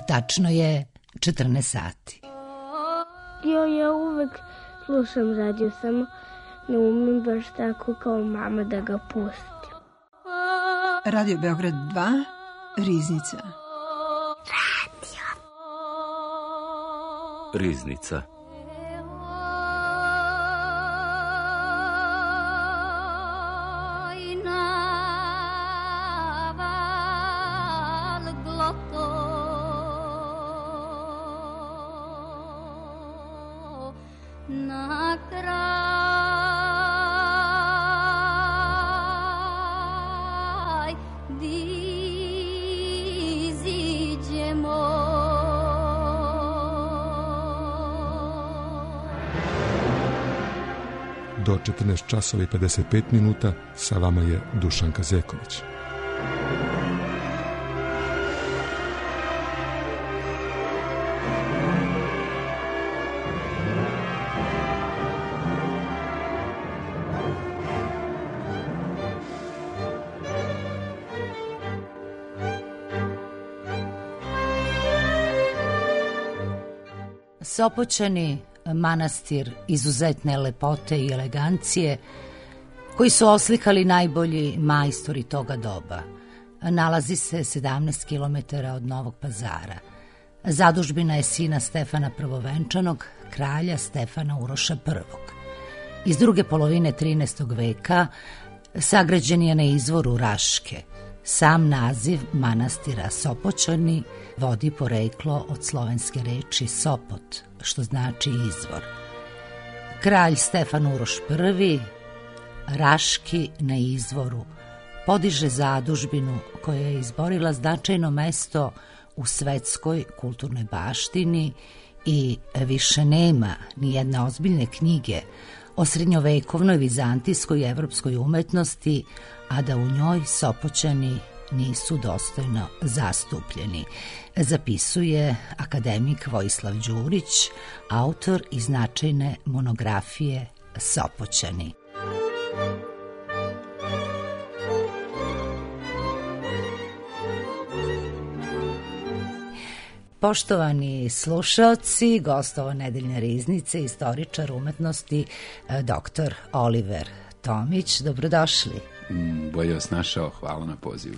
Tačno je 14 sati. Ja uvek slušam radio, samo ne umem baš tako kao mama da ga pustim. Radio Beograd 2, Riznica. Riznica. Do 14 časova i 55 minuta sa vama je Dušan Kazeković. Sopoćani, manastir izuzetne lepote i elegancije, koji su oslikali najbolji majstori toga doba. Nalazi se 17 km od Novog Pazara. Zadužbina je sina Stefana Prvovenčanog, kralja Stefana Uroša I. Iz druge polovine 13. veka sagrađen je na izvoru Raške. Sam naziv manastira Sopoćani vodi poreklo od slovenske reči Sopot, što znači izvor. Kralj Stefan Uroš I, Raški na izvoru, podiže zadužbinu koja je izborila značajno mesto u svetskoj kulturnoj baštini i više nema ni jedne ozbiljne knjige o srednjovekovnoj vizantijskoj i evropskoj umetnosti, a da u njoj Sopoćani nisu dostojno zastupljeni, zapisuje akademik Vojislav Đurić, autor i značajne monografije Sopoćani. Poštovani slušaoci, gost ovo nedeljne riznice, istoričar umetnosti, dr. Oliver Tomić. Dobrodošli. Bolje vas našao, hvala na pozivu.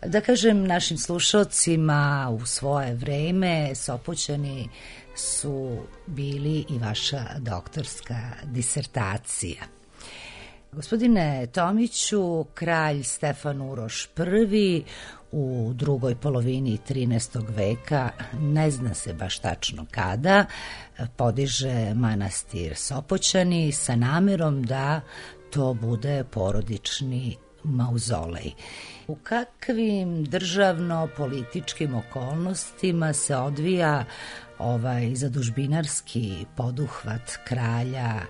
Da kažem našim slušaocima, u svoje vreme Sopoćani su bili i vaša doktorska disertacija. Gospodine Tomiću, kralj Stefan Uroš I u drugoj polovini 13. veka, ne zna se baš tačno kada, podiže manastir Sopoćani sa namerom da to bude porodični mauzolej. U kakvim državno-političkim okolnostima se odvija ovaj zadužbinarski poduhvat kralja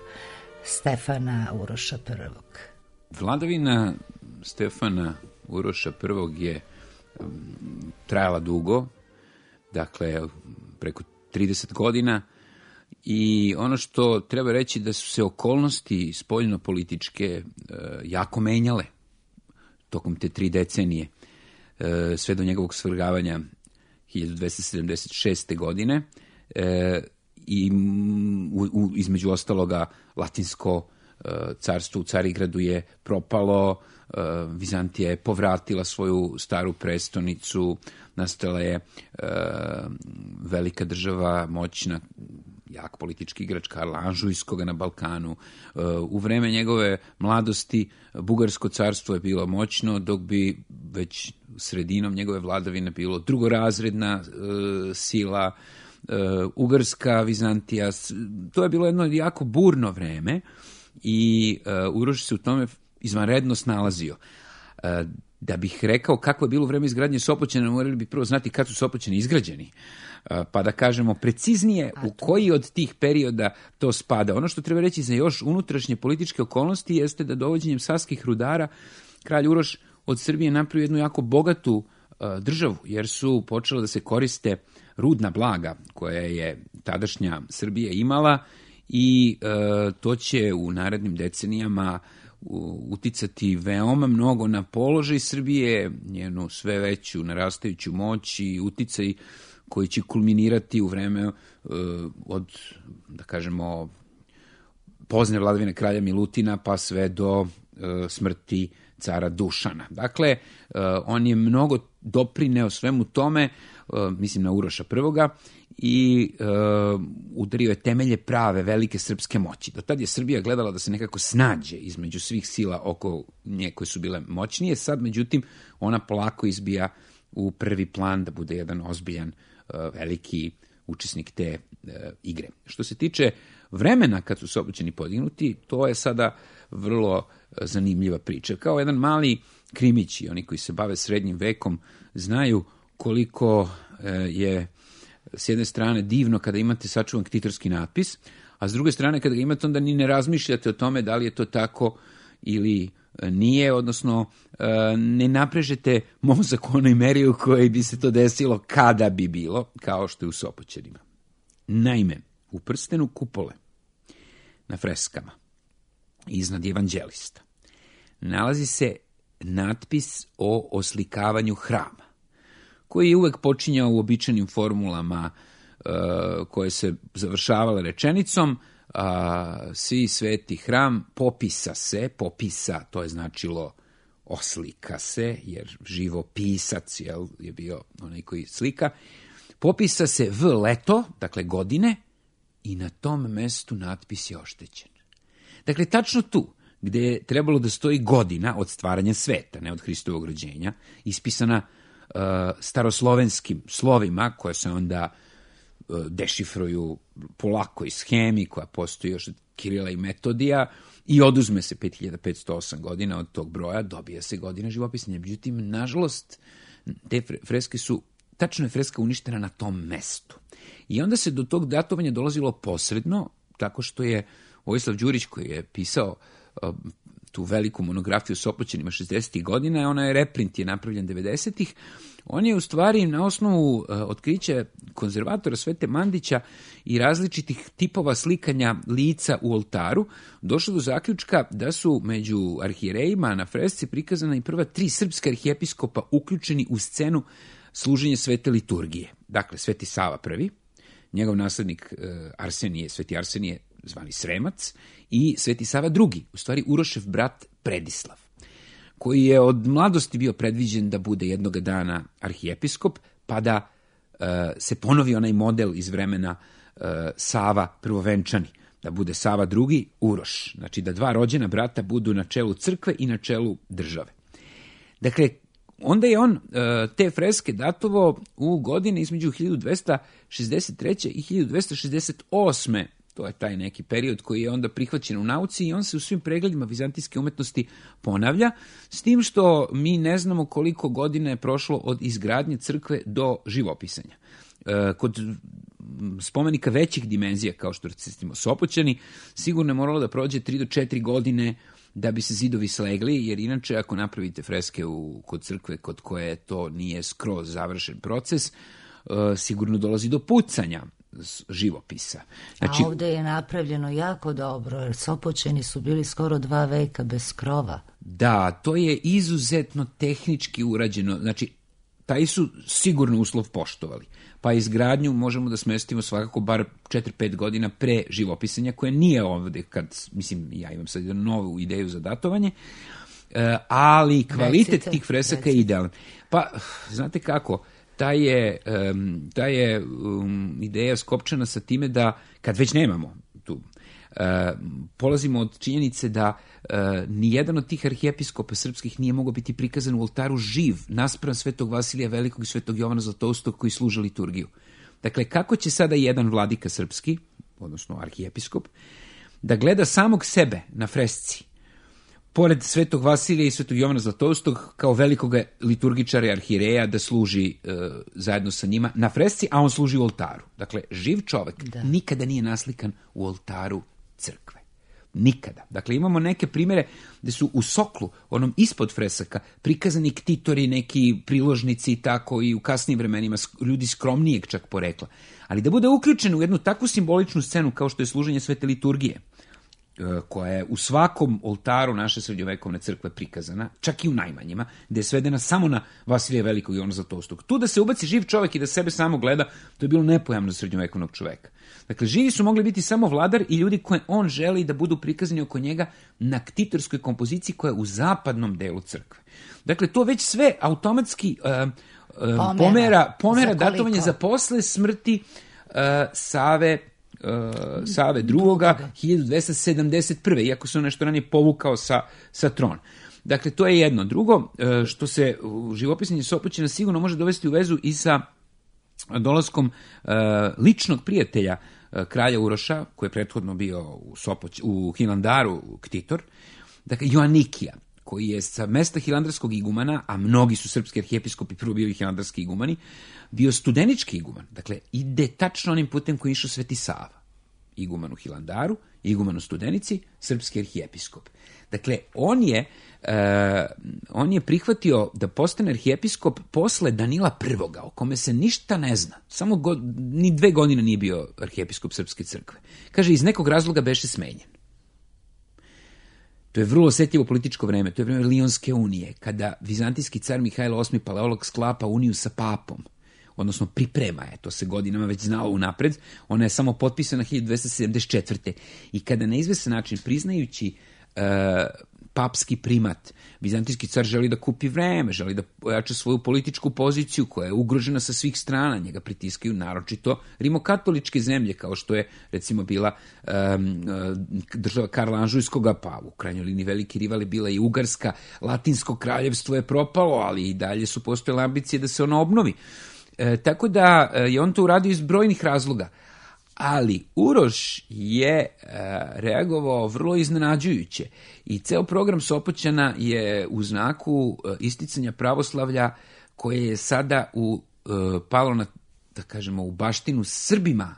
Stefana Uroša I? Vladavina Stefana Uroša I je trajala dugo, dakle preko 30 godina, i ono što treba reći da su se okolnosti spoljno-političke jako menjale tokom te 3 decenije, sve do njegovog svrgavanja 1276. godine, i između ostaloga Latinsko carstvo u Carigradu je propalo, Vizantija je povratila svoju staru prestonicu, nastala je velika država, moćna, jak politički igrač Karla Anžujskoga na Balkanu. U vreme njegove mladosti Bugarsko carstvo je bilo moćno, dok bi već sredinom njegove vladavine bilo drugorazredna sila, Ugarska, Vizantija. To je bilo jedno jako burno vreme i Uroš se u tome izvanredno snalazio. Da bih rekao kako je bilo vreme izgradnje Sopoćana, morali bi prvo znati kad su Sopoćani izgrađeni, pa da kažemo preciznije u koji od tih perioda to spada. Ono što treba reći za još unutrašnje političke okolnosti jeste da dovođenjem savskih rudara kralj Uroš od Srbije napravio jednu jako bogatu državu, jer su počela da se koriste rudna blaga koja je tadašnja Srbija imala, i to će u narednim decenijama uticati veoma mnogo na položaj Srbije, njenu sve veću narastajuću moć i uticaj koji će kulminirati u vreme od, da kažemo, pozne vladavine kralja Milutina pa sve do smrti cara Dušana. Dakle, on je mnogo doprineo svemu tome, mislim na Uroša I, udario je temelje prave velike srpske moći. Do tad je Srbija gledala da se nekako snađe između svih sila oko nje koje su bile moćnije. Sad, međutim, ona polako izbija u prvi plan da bude jedan ozbiljan, veliki učesnik te igre. Što se tiče vremena kad su Sopoćani podignuti, to je sada vrlo zanimljiva priča. Kao jedan mali krimić, oni koji se bave srednjim vekom znaju koliko je s jedne strane divno kada imate sačuvan ktitorski natpis, a s druge strane kada ga imate onda ni ne razmišljate o tome da li je to tako ili nije, odnosno ne naprežete mozak u onoj meri u kojoj bi se to desilo kada bi bilo, kao što je u Sopoćanima. Naime, u prstenu kupole na freskama iznad evanđelista nalazi se natpis o oslikavanju hrama, koji je uvek počinjao uobičajenim formulama koje se završavale rečenicom svi sveti hram popisa, to je značilo oslika se, jer živopisac je bio onaj koji slika, popisa se v leto, dakle godine, i na tom mestu natpis je oštećen. Dakle, tačno tu, gde je trebalo da stoji godina od stvaranja sveta, ne od Hristovog rođenja, ispisana staroslovenskim slovima, koje se onda dešifruju polako iz hemi, koja postoji još od Kirila i Metodija, i oduzme se 5508 godina od tog broja, dobija se godina živopisanja. Međutim, nažalost, te freske su, tačno je freska uništena na tom mestu. I onda se do tog datovanja dolazilo posredno, tako što je Vojislav Đurić, koji je pisao tu veliku monografiju o Sopoćanima 60. godina, ona je reprint, je napravljen 90. On je u stvari na osnovu otkrića konzervatora Svete Mandića i različitih tipova slikanja lica u oltaru došao do zaključka da su među arhijerejima na fresci prikazana i prva 3 srpska arhijepiskopa uključeni u scenu služenja svete liturgije. Dakle, Sveti Sava I, njegov naslednik Sveti Arsenije, zvani Sremac, i Sveti Sava II, u stvari Urošev brat Predislav, koji je od mladosti bio predviđen da bude jednoga dana arhijepiskop, pa da se ponovi onaj model iz vremena Sava prvovenčani, da bude Sava II, Uroš, znači da 2 rođena brata budu na čelu crkve i na čelu države. Dakle, onda je on te freske datovao u godine između 1263. i 1268. To je taj neki period koji je onda prihvaćen u nauci i on se u svim pregledima vizantijske umetnosti ponavlja, s tim što mi ne znamo koliko godina je prošlo od izgradnje crkve do živopisanja. Kod spomenika većih dimenzija, kao što recimo Sopoćani, sigurno je moralo da prođe 3 do 4 godine da bi se zidovi slegli, jer inače ako napravite freske kod crkve kod koje to nije skroz završen proces, sigurno dolazi do pucanja živopisa. Znači, a ovdje je napravljeno jako dobro, jer Sopoćani su bili skoro 2 veka bez krova. Da, to je izuzetno tehnički urađeno, znači taj su sigurno uslov poštovali. Pa izgradnju možemo da smestimo svakako bar 4-5 godina pre živopisanja, koje nije ovde, mislim, ja imam sad jednu novu ideju za datovanje, ali kvalitet tih fresaka je idealan. Pa, znate kako, ta je ideja skopčana sa time da, kad već nemamo tu, polazimo od činjenice da nijedan od tih arhijepiskopa srpskih nije mogao biti prikazan u oltaru živ, naspram Svetog Vasilija Velikog i Svetog Jovana Zlatoustog koji služe liturgiju. Dakle, kako će sada jedan vladika srpski, odnosno arhijepiskop, da gleda samog sebe na fresci, pored Svetog Vasilija i Svetog Jovana Zlatoustog, kao velikog liturgičara i arhijereja, da služi zajedno sa njima na fresci, a on služi u oltaru. Dakle, živ čovek nikada nije naslikan u oltaru crkve. Nikada. Dakle, imamo neke primere gde su u soklu, onom ispod fresaka, prikazani ktitori, neki priložnici i tako, i u kasnijim vremenima ljudi skromnijeg čak porekla. Ali da bude uključen u jednu takvu simboličnu scenu kao što je služenje svete liturgije, koja je u svakom oltaru naše srednjovekovne crkve prikazana, čak i u najmanjima, gde je svedena samo na Vasilija Velikog i Ivana Zlatoustog. Tu da se ubaci živ čovjek i da sebe samo gleda, to je bilo nepojamno za srednjovekovnog čoveka. Dakle, živi su mogli biti samo vladar i ljudi koje on želi da budu prikazani oko njega na ktitorskoj kompoziciji koja je u zapadnom delu crkve. Dakle, to već sve automatski pomera datovanje za posle smrti Save drugoga 1271. Iako se on nešto ranije povukao sa trona. Dakle, to je jedno. Drugo, što se živopisanje Sopoćana sigurno može dovesti u vezu i sa dolaskom ličnog prijatelja kralja Uroša, koji je prethodno bio u Hilandaru ktitor, dakle, Joanikija, koji je sa mesta hilandarskog igumana, a mnogi su srpski arhijepiskopi prvo bili hilandarski igumani, bio studenički iguman. Dakle, ide tačno onim putem koji je išao Sveti Sava. Iguman u Hilandaru, iguman u Studenici, srpski arhijepiskop. Dakle, on je prihvatio da postane arhijepiskop posle Danila I, o kome se ništa ne zna. Samo ni 2 godine nije bio arhijepiskop Srpske crkve. Kaže, iz nekog razloga beše smenjen. To je vrlo osjetljivo političko vreme, to je vreme Lionske unije, kada vizantijski car Mihajlo VIII Paleolog sklapa uniju sa papom, odnosno priprema je, to se godinama već znalo unapred, ona je samo potpisana 1274. I kada na izvestan način, priznajući papski primat, vizantijski car želi da kupi vreme, želi da ojača svoju političku poziciju koja je ugrožena sa svih strana, njega pritiskaju naročito rimokatoličke zemlje, kao što je recimo bila država Karla Anžujskoga, pa u krajnjoj liniji veliki rival je bila i Ugarska, Latinsko kraljevstvo je propalo, ali i dalje su postojale ambicije da se ono obnovi. Tako da je on to uradio iz brojnih razloga. Ali Uroš je reagovao vrlo iznenađujuće i ceo program Sopoćana je u znaku isticanja pravoslavlja koje je sada palo na, da kažemo, u baštinu Srbima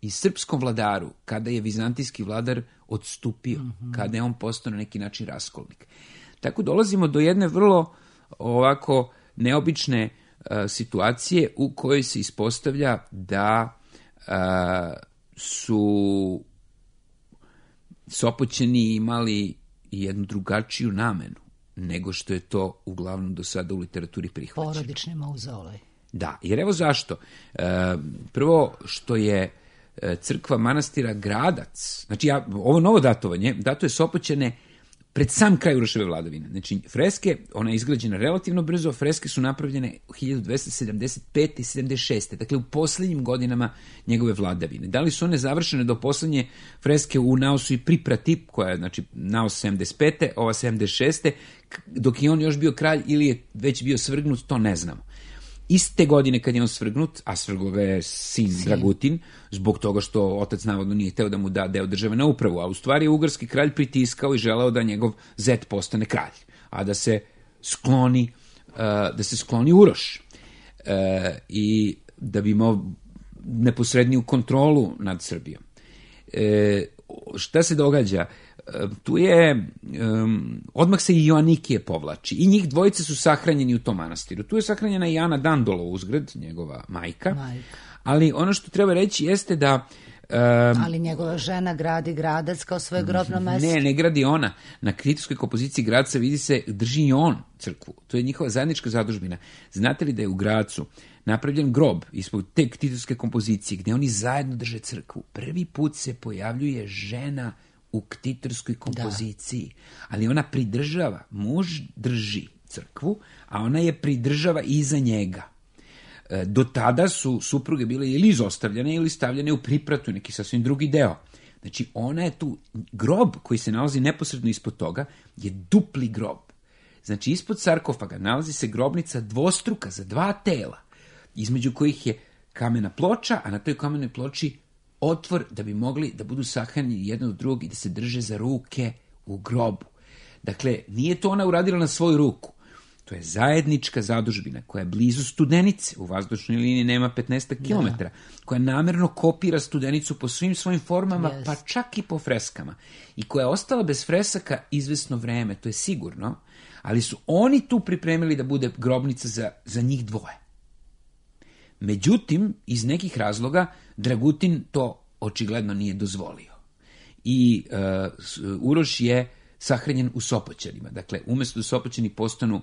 i srpskom vladaru, kada je vizantijski vladar odstupio, kada je on postao na neki način raskolnik. Tako dolazimo do jedne vrlo ovako neobične situacije u kojoj se ispostavlja da su Sopoćani imali jednu drugačiju namenu nego što je to uglavnom do sada u literaturi prihvaćeno. Porodični mauzolej. Da, jer evo zašto. Prvo što je crkva manastira Gradac, znači ovo novo datovanje, datuje Sopoćane pred sam kraj Uroševe vladavine. Znači, freske, ona je izgrađena relativno brzo, freske su napravljene 1275. i 76. Dakle, u posljednjim godinama njegove vladavine. Da li su one završene do posljednje freske u Naosu i Priprati, koja je, znači, Naos 75. ova 76. dok je on još bio kralj ili je već bio svrgnut, to ne znamo. Iste godine kad je on svrgnut, a svrglo ga je sin Dragutin, zbog toga što otac navodno nije hteo da mu da deo države na upravu, a u stvari je ugarski kralj pritiskao i želeo da njegov zet postane kralj, a da se skloni Uroš i da bi imao neposredniju kontrolu nad Srbijom. Šta se događa? Tu je, odmah se i Joanikije povlači i njih dvojice su sahranjeni u tom manastiru. Tu je sahranjena i Ana Dandolo uzgred, njegova majka. Ali ono što treba reći jeste da... ali njegova žena gradi Gradac kao svoje grobno mesto. Ne gradi ona. Na kritičkoj kompoziciji Gradca vidi se, drži i on crkvu. To je njihova zajednička zadužbina. Znate li da je u Gracu napravljen grob ispod te kritičke kompozicije gde oni zajedno drže crkvu? Prvi put se pojavljuje žena u ktitorskoj kompoziciji, ali ona pridržava, muž drži crkvu, a ona je pridržava iza njega. Do tada su supruge bile ili izostavljene ili stavljene u pripratu, neki sasvim drugi deo. Znači, ona je tu, grob koji se nalazi neposredno ispod toga je dupli grob. Znači, ispod sarkofaga nalazi se grobnica dvostruka za 2 tela, između kojih je kamena ploča, a na toj kamenoj ploči otvor da bi mogli da budu sahranjeni jedno od drugog i da se drže za ruke u grobu. Dakle, nije to ona uradila na svoju ruku. To je zajednička zadužbina koja je blizu Studenice, u vazdušnoj liniji nema 15 km, koja namerno kopira Studenicu po svim svojim formama, pa čak i po freskama. I koja je ostala bez fresaka izvesno vreme, to je sigurno, ali su oni tu pripremili da bude grobnica za njih dvoje. Međutim, iz nekih razloga, Dragutin to očigledno nije dozvolio. i Uroš je sahranjen u Sopoćanima. Dakle, umesto da Sopoćani postanu,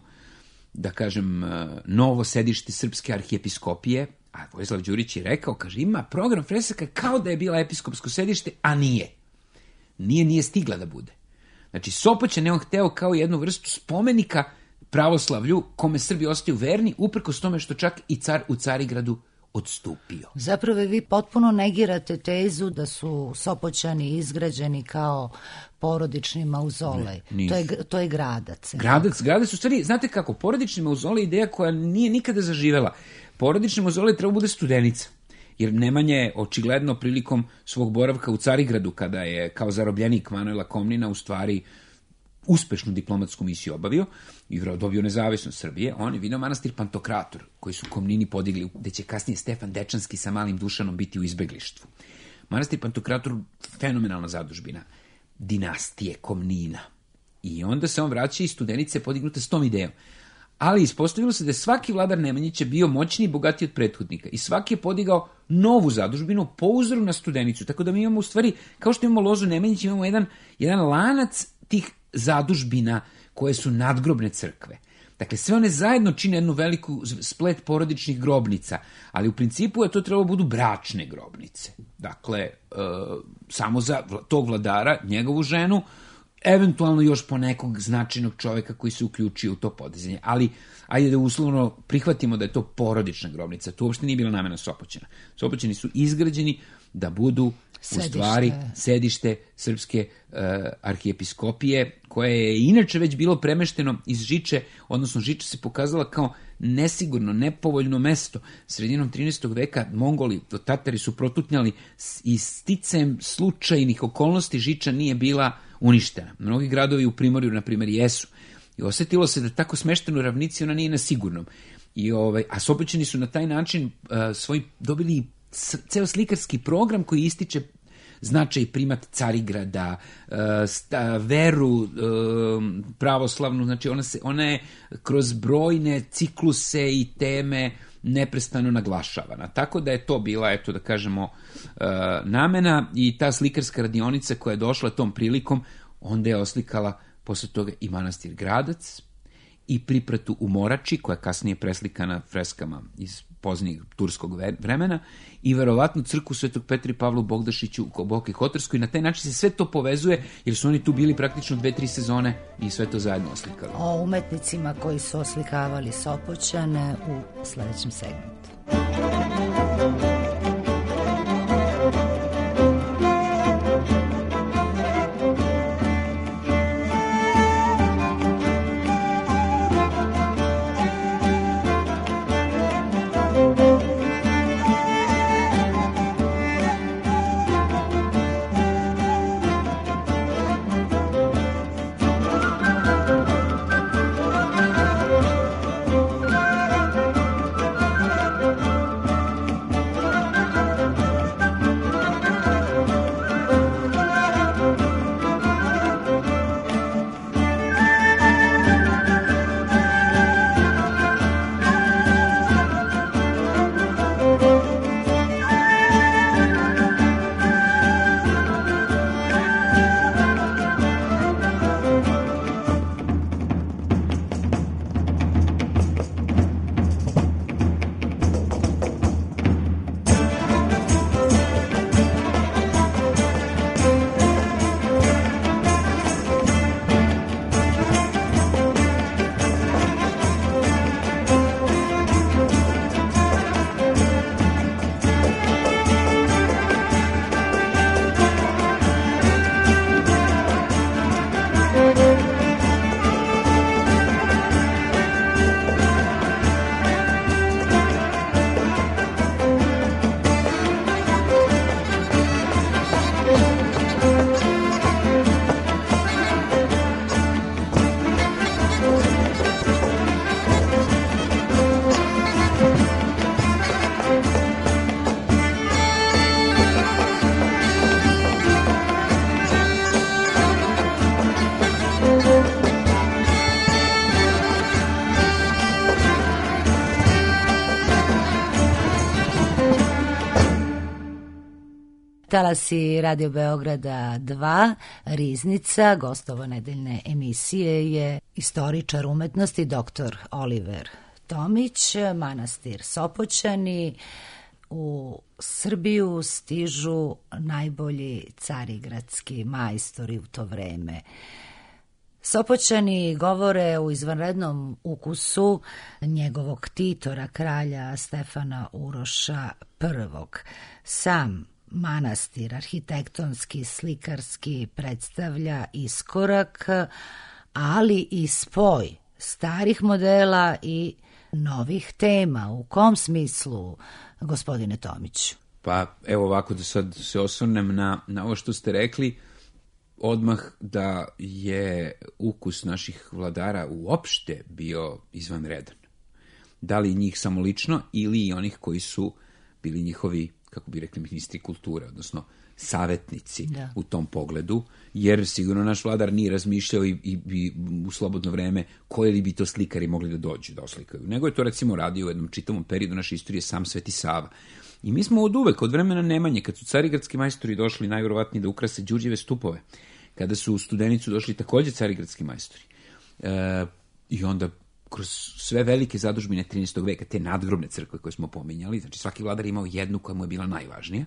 da kažem, novo sedište srpske arhijepiskopije, a Vojislav Đurić je rekao, kaže, ima program fresaka kao da je bila episkopsko sedište, a nije. Nije stigla da bude. Znači, Sopoćan je on hteo kao jednu vrstu spomenika pravoslavlju, kome Srbi ostaju verni, uprkos tome što čak i car u Carigradu odstupio. Zapravo vi potpuno negirate tezu da su Sopoćani izgrađeni kao porodični mauzolej. To je Gradac. Gradac u stvari, znate kako, porodični mauzolej je ideja koja nije nikada zaživela. Porodični mauzolej treba bude Studenica. Jer Nemanja je očigledno prilikom svog boravka u Carigradu, kada je kao zarobljenik Manuela Komnina u stvari uspešnu diplomatsku misiju obavio i dobio nezavisnost Srbije, on je vidio manastir Pantokrator, koji su Komnini podigli, gde će kasnije Stefan Dečanski sa malim Dušanom biti u izbeglištvu. Manastir Pantokrator, fenomenalna zadužbina dinastije Komnina. I onda se on vraća iz Studenice podignuta s tom idejom. Ali ispostavilo se da je svaki vladar Nemanjića bio moćniji i bogatiji od prethodnika i svaki je podigao novu zadužbinu po uzoru na Studenicu. Tako da mi imamo u stvari, kao što imamo lozu Nemanjića, imamo jedan lanac tih zadužbina koje su nadgrobne crkve. Dakle, sve one zajedno čine jednu veliku splet porodičnih grobnica, ali u principu je to trebalo budu bračne grobnice. Dakle, samo za tog vladara, njegovu ženu, eventualno još po nekog značajnog čoveka koji se uključio u to podizanje. Ali, ajde da uslovno prihvatimo da je to porodična grobnica. To uopšte nije bila namena Sopoćana. Sopoćani su izgrađeni da budu u stvari sedište srpske arhijepiskopije, koje je inače već bilo premešteno iz Žiče, odnosno Žiča se pokazala kao nesigurno, nepovoljno mesto. Sredinom 13. veka Mongoli, Tatari su protutnjali i sticajem slučajnih okolnosti Žiča nije bila uništena. Mnogi gradovi u Primorju, na primjer, jesu. I osetilo se da tako smešteno u ravnici ona nije na sigurnom. A Sopoćani su na taj način dobili ceo slikarski program koji ističe značaj i primat Carigrada, veru pravoslavnu, znači ona je kroz brojne cikluse i teme neprestano naglašavana. Tako da je to bila, eto da kažemo, namena i ta slikarska radionica koja je došla tom prilikom, onda je oslikala posle toga i manastir Gradac i pripratu u Morači, koja je kasnije preslikana freskama iz poznijeg turskog vremena i verovatno crkvu Svetog Petra i Pavlu Bogdašiću u Boki Hotarskoj. Na taj način se sve to povezuje, jer su oni tu bili praktično 2-3 sezone i sve to zajedno oslikali. O umetnicima koji su oslikavali Sopoćane u sledećem segmentu. talasi Radio Beograda 2, Riznica, gostovo nedeljne emisije je istoričar umetnosti dr. Oliver Tomić, manastir Sopoćani. U Srbiju stižu najbolji carigradski majstori u to vreme. Sopoćani govore u izvanrednom ukusu njegovog titora, kralja Stefana Uroša I. Sam manastir arhitektonski, slikarski predstavlja iskorak, ali i spoj starih modela i novih tema. U kom smislu, gospodine Tomiću? Pa evo ovako, da sad se osvrnem na ovo što ste rekli, odmah da je ukus naših vladara uopšte bio izvanredan. Da li njih samo lično ili i onih koji su bili njihovi, kako bi rekli, ministri kulture, odnosno savetnici u tom pogledu, jer sigurno naš vladar nije razmišljao i u slobodno vreme koji li bi to slikari mogli da dođu da oslikaju. Nego je to recimo radio u jednom čitavom periodu naše istorije sam Sveti Sava. I mi smo od uvek, od vremena Nemanje, kad su carigradski majstori došli najverovatnije da ukrase Đurđeve stupove, kada su u Studenicu došli takođe carigradski majstori. I onda kroz sve velike zadužbine 13. veka, te nadgrobne crkve koje smo pominjali, znači svaki vladar imao jednu koja mu je bila najvažnija,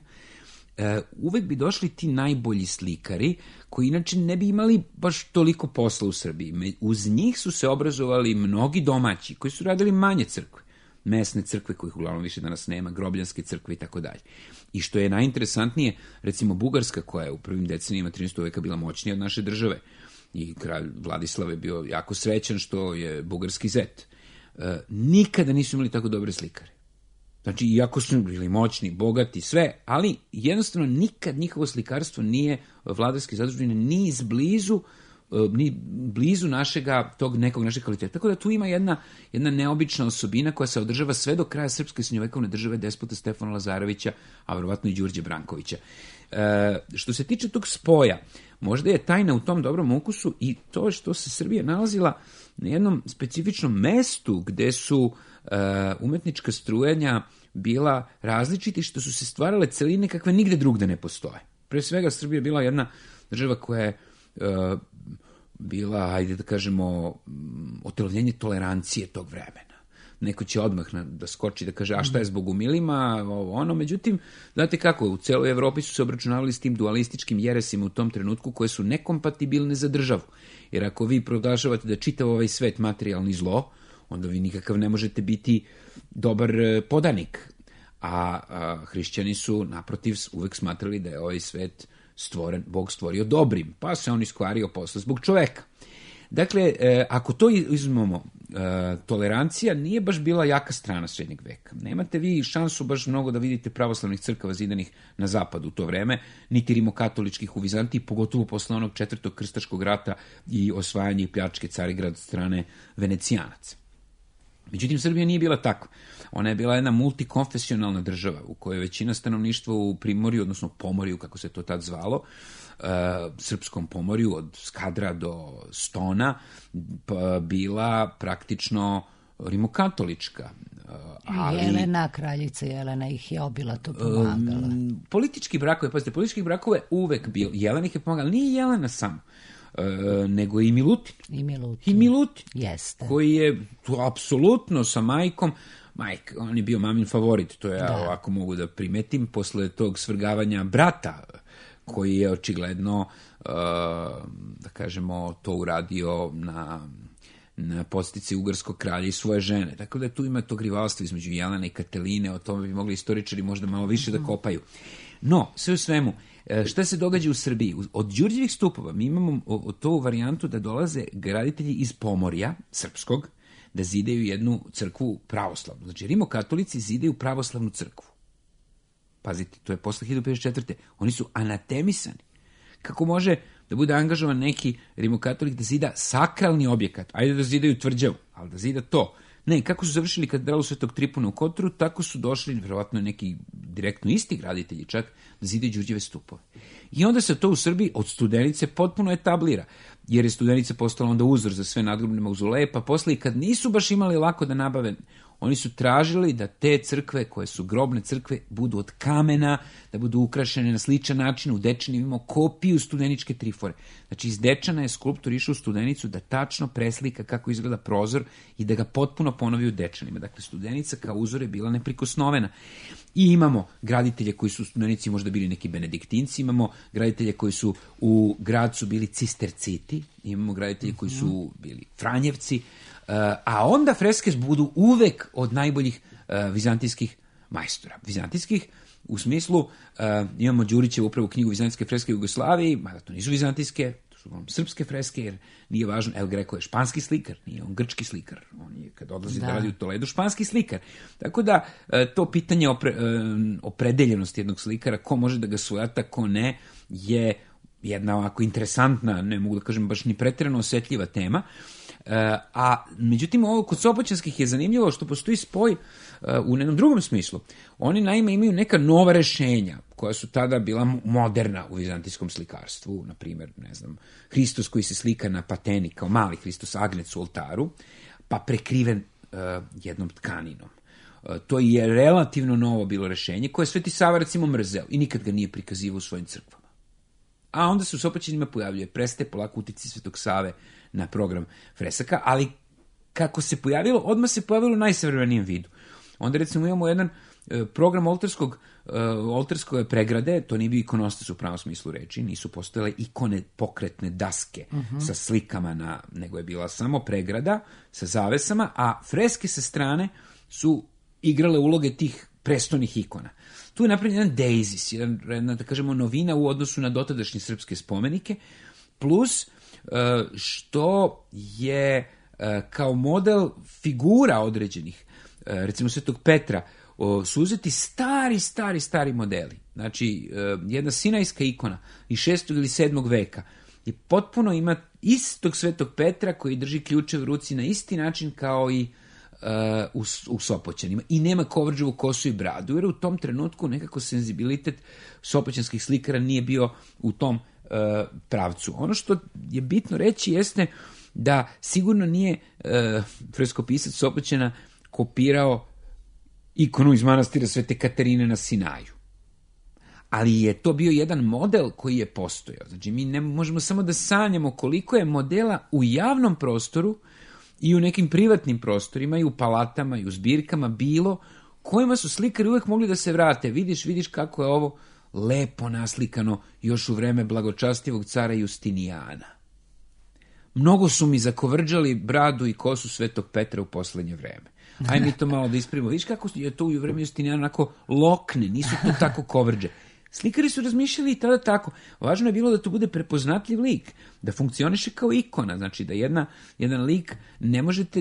uvek bi došli ti najbolji slikari koji inače ne bi imali baš toliko posla u Srbiji. Uz njih su se obrazovali mnogi domaći koji su radili manje crkve, mesne crkve kojih uglavnom više danas nema, grobljanske crkve i tako dalje. I što je najinteresantnije, recimo Bugarska, koja je u prvim decenijima 13. veka bila moćnija od naše države, i kralj Vladislav je bio jako srećan što je bugarski zet, nikada nisu imali tako dobre slikare. Znači, iako su bili moćni, bogati, sve, ali jednostavno nikad njihovo slikarstvo nije, vladarske zadužbine, ni blizu tog nekog našeg kvaliteta. Tako da tu ima jedna neobična osobina koja se održava sve do kraja srpske srednjovekovne države despota Stefana Lazarevića, a verovatno i Đurđe Brankovića. Što se tiče tog spoja, možda je tajna u tom dobrom ukusu i to što se Srbija nalazila na jednom specifičnom mestu gde su umetnička strujanja bila različiti, što su se stvarale celine kakve nigde drugde ne postoje. Pre svega, Srbija je bila jedna država koja je bila, ajde da kažemo, otelovljenje tolerancije tog vremena. Neko će odmah da skoči da kaže, a šta je s bogumilima, međutim, znate kako, u celoj Evropi su se obračunavali s tim dualističkim jeresima u tom trenutku koje su nekompatibilne za državu. Jer ako vi proglašavate da čitav ovaj svet materijalni zlo, onda vi nikakav ne možete biti dobar podanik. A hrišćani su, naprotiv, uvek smatrali da je ovaj svet stvoren, Bog stvorio dobrim, pa se on iskvario posle zbog čoveka. Dakle, ako to izmemo, tolerancija nije baš bila jaka strana srednjeg veka. Nemate vi šansu baš mnogo da vidite pravoslavnih crkava zidanih na zapadu u to vreme, niti rimokatoličkih u Vizantiji, pogotovo posle onog 4. krstaškog rata i osvajanje i pljačke Carigrada od strane Venecijanaca. Međutim, Srbija nije bila tako. Ona je bila jedna multikonfesionalna država u kojoj većina stanovništva u Primorju, odnosno Pomorju, kako se to tad zvalo, srpskom Pomorju, od Skadra do Stona, bila praktično rimokatolička. Jelena, kraljica Jelena ih je obilato pomagala. Politički brakove, pazite, političkih brakove uvek bilo. Jelena ih je pomagala. Nije Jelena samo, nego i Milutin. I Milutin. Jeste. Koji je apsolutno sa majkom, on je bio mamin favorit, to ja ovako mogu da primetim, posle tog svrgavanja brata, koji je očigledno, da kažemo, to uradio na podstici ugarskog kralja i svoje žene. Tako da tu ima tog rivalstva između Jelene i Kateline, o tome bi mogli istoričari možda malo više da kopaju. No, sve u svemu, šta se događa u Srbiji? Od Đurđevih stupova mi imamo tu varijantu da dolaze graditelji iz Pomorja, srpskog, da zidaju jednu crkvu pravoslavnu. Znači, rimokatolici zidaju pravoslavnu crkvu. Pazite, to je posle 1054. Oni su anatemisani. Kako može da bude angažovan neki rimokatolik da zida sakralni objekat? Ajde da zidaju tvrđavu, ali da zida to. Ne, kako su završili katedralu Svetog Tripuna u Kotoru, tako su došli, verovatno neki direktno isti graditelji čak, da zidaju Đurđeve stupove. I onda se to u Srbiji od Studenice potpuno etablira, jer je Studenica postala onda uzor za sve nadgrobne mauzoleje, pa posle i kad nisu baš imali lako da nabave Oni su tražili da te crkve, koje su grobne crkve, budu od kamena, da budu ukrašene na sličan način. U Dečani imamo kopiju Studeničke trifore. Znači, iz Dečana je skulptor išao u Studenicu da tačno preslika kako izgleda prozor i da ga potpuno ponovi u Dečanima. Dakle, Studenica kao uzor je bila neprikosnovena. I imamo graditelje koji su u Studenici možda bili neki benediktinci, imamo graditelje koji su u Gradcu bili cisterciti, imamo graditelje koji su bili Franjevci, a onda freske budu uvek od najboljih vizantijskih majstora. Vizantijskih u smislu, imamo Đurićevu upravo knjigu Vizantijske freske u Jugoslaviji, mada to nisu vizantijske, to su srpske freske, jer nije važno, El Greco je španski slikar, nije on grčki slikar, on je kad odlazi da radi u Toledu španski slikar. Tako da to pitanje opredeljenosti jednog slikara, ko može da ga svojata, ko ne, je jedna ovako interesantna, ne mogu da kažem baš ni pretjerano osetljiva tema. A međutim, ovo kod Sopoćanskih je zanimljivo što postoji spoj u jednom drugom smislu. Oni naime imaju neka nova rešenja koja su tada bila moderna u vizantijskom slikarstvu, na primjer, ne znam, Hristos koji se slika na pateni kao mali Hristos Agnec u oltaru, pa prekriven jednom tkaninom. To je relativno novo bilo rešenje koje Sveti Sava recimo mrzeo i nikad ga nije prikazivao u svojim crkvama. A onda se u Sopoćanima pojavljuje, prestaje polako utici Svetog Save na program fresaka, ali kako se pojavilo, odmah se pojavilo u najsavremenijem vidu. Onda recimo imamo jedan program oltarske pregrade, to nije bio ikonostas u pravom smislu reči, nisu postojale ikone pokretne daske sa slikama, nego je bila samo pregrada sa zavesama, a freske sa strane su igrale uloge tih prestolnih ikona. Tu je napravljen jedan deizis, jedna, da kažemo, novina u odnosu na dotadašnje srpske spomenike, plus što je kao model figura određenih, recimo Svetog Petra, su uzeti stari modeli. Znači, jedna sinajska ikona iz 6. ili 7. veka i potpuno ima istog Svetog Petra koji drži ključe u ruci na isti način kao i u Sopoćanima. I nema Kovrđevu kosu i bradu, jer u tom trenutku nekako senzibilitet sopoćanskih slikara nije bio u tom pravcu. Ono što je bitno reći jeste da sigurno nije freskopisac Sopoćana kopirao ikonu iz manastira Svete Katarine na Sinaju. Ali je to bio jedan model koji je postojao. Znači, mi ne možemo samo da sanjamo koliko je modela u javnom prostoru i u nekim privatnim prostorima i u palatama i u zbirkama bilo kojima su slikari uvek mogli da se vrate. Vidiš kako je ovo lepo naslikano još u vreme blagočastivog cara Justinijana. Mnogo su mi zakovrđali bradu i kosu Svetog Petra u poslednje vreme. Ajde mi to malo da ispravimo. Vidiš kako je to u vreme Justinijana onako lokne, nisu to tako kovrđe. Slikari su razmišljali i tada tako. Važno je bilo da to bude prepoznatljiv lik, da funkcioniše kao ikona, znači da jedan lik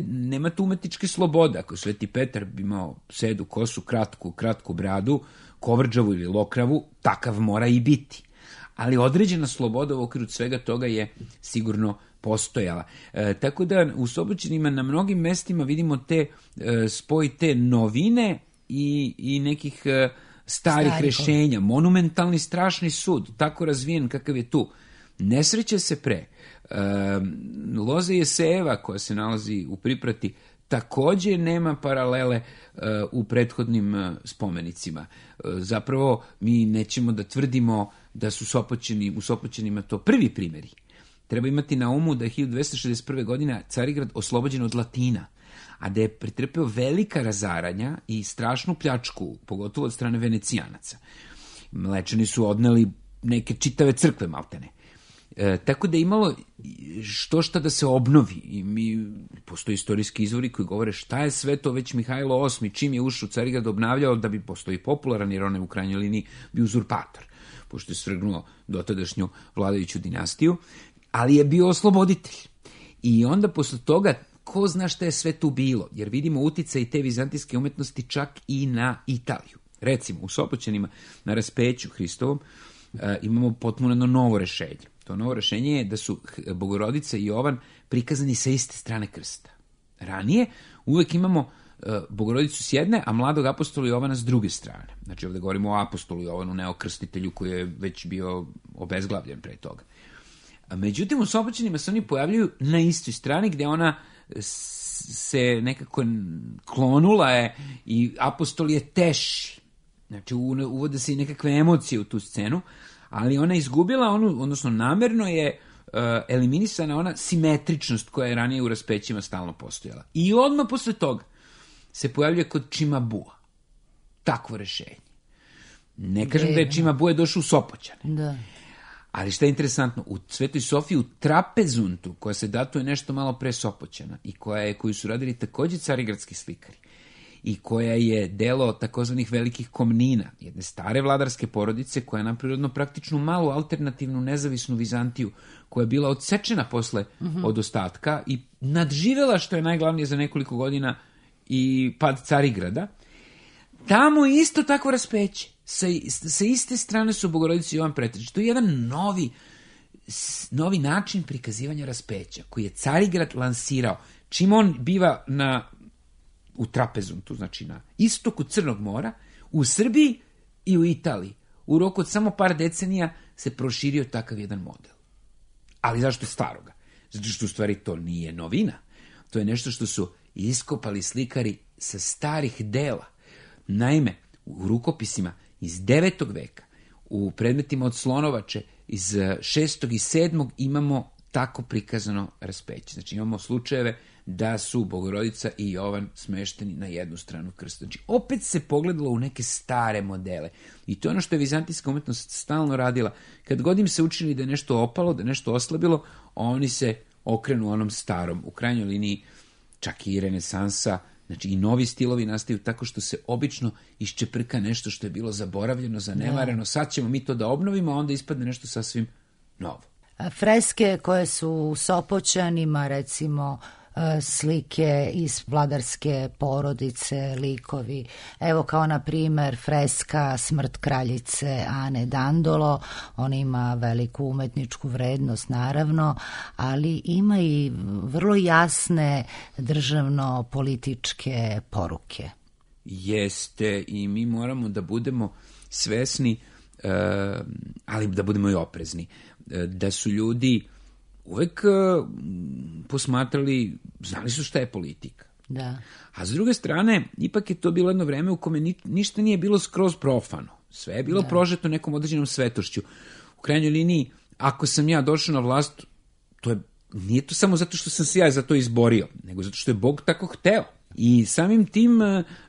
nemate umetničke slobode. Ako Sveti Petar bi imao sedu kosu, kratku bradu, kovrđavu ili lokravu, takav mora i biti. Ali određena sloboda u okviru svega toga je sigurno postojala. Tako da u Sopoćanima na mnogim mestima vidimo spoj te novine i nekih starih rešenja. Monumentalni strašni sud, tako razvijen kakav je tu. Ne sreće se pre. Loza Jesejeva koja se nalazi u Priprati takođe nema paralele u prethodnim spomenicima. Zapravo mi nećemo da tvrdimo da su u Sopoćanima to prvi primjeri. Treba imati na umu da je 1261. godina Carigrad oslobođen od Latina, a da je pretrpeo velika razaranja i strašnu pljačku, pogotovo od strane Venecijanaca. Mlečani su odneli neke čitave crkve maltene. Tako da je imalo šta da se obnovi. I postoji istorijski izvori koji govore šta je sve to već Mihajlo VIII, čim je ušao u Carigrad, obnavljao da bi postoji popularan, jer on je u krajnjoj liniji bio uzurpator, pošto je svrgnuo dotadašnju vladajuću dinastiju, ali je bio osloboditelj. I onda posle toga ko zna šta je sve tu bilo, jer vidimo uticaj te vizantijske umetnosti čak i na Italiju. Recimo, u Sopoćanima na raspeću Hristovom imamo potpuno novo rešenje. To novo rešenje je da su Bogorodica i Jovan prikazani sa iste strane krsta. Ranije uvek imamo Bogorodicu s jedne, a mladog apostola Jovana s druge strane. Znači ovde govorimo o apostolu Jovanu, ne o krstitelju koji je već bio obezglavljen pre toga. Međutim, u Sopoćanima se oni pojavljaju na istoj strani gde ona se nekako klonula je i apostol je teši. Znači, uvode se i nekakve emocije u tu scenu, ali ona je izgubila odnosno namerno je eliminisana ona simetričnost koja je ranije u raspećima stalno postojala. I odmah posle toga se pojavljuje kod Čimabua takvo rešenje. Ne kažem da je Čimabue došao u Sopoćane. Da. Ali šta je interesantno, u Svetoj Sofiji, u trapezuntu, koja se datuje nešto malo pre Sopoćana i koju su radili takođe carigradski slikari i koja je delo takozvanih velikih komnina, jedne stare vladarske porodice koja je naprirodno praktičnu malu alternativnu nezavisnu Vizantiju koja je bila odsečena posle od ostatka i nadživela, što je najglavnije za nekoliko godina, i pad Carigrada. Tamo je isto tako raspeće. Sa iste strane su Bogorodica i Jovan Pretražić. To je jedan novi način prikazivanja raspeća koji je Carigrad lansirao. Čim on biva u trapezuntu, znači na istoku Crnog mora, u Srbiji i u Italiji. U roku od samo par decenija se proširio takav jedan model. Ali zašto staroga? Zato što u stvari to nije novina. To je nešto što su iskopali slikari sa starih dela. Naime, u rukopisima iz 9. veka, u predmetima od Slonovače iz 6. i 7. imamo tako prikazano raspeće. Znači imamo slučajeve da su Bogorodica i Jovan smešteni na jednu stranu krsta. Znači opet se pogledalo u neke stare modele. I to je ono što je vizantijska umetnost stalno radila. Kad god im se učinili da je nešto opalo, da je nešto oslabilo, oni se okrenu onom starom. U krajnjoj liniji čak i renesansa, znači i novi stilovi nastaju tako što se obično iščeprka nešto što je bilo zaboravljeno, zanemareno. Sad ćemo mi to da obnovimo, a onda ispadne nešto sasvim novo. Freske koje su u Sopoćanima, recimo slike iz vladarske porodice, likovi, evo kao na primer freska Smrt kraljice Ane Dandolo, ona ima veliku umetničku vrednost naravno, ali ima i vrlo jasne državno-političke poruke. Jeste, i mi moramo da budemo svesni, ali da budemo i oprezni, da su ljudi uvek posmatrali, znali su šta je politika. Da. A s druge strane, ipak je to bilo jedno vreme u kome ništa nije bilo skroz profano. Sve je bilo prožeto nekom određenom svetošću. U krajnjoj liniji, ako sam ja došao na vlast, nije to samo zato što sam se ja za to izborio, nego zato što je Bog tako hteo. I samim tim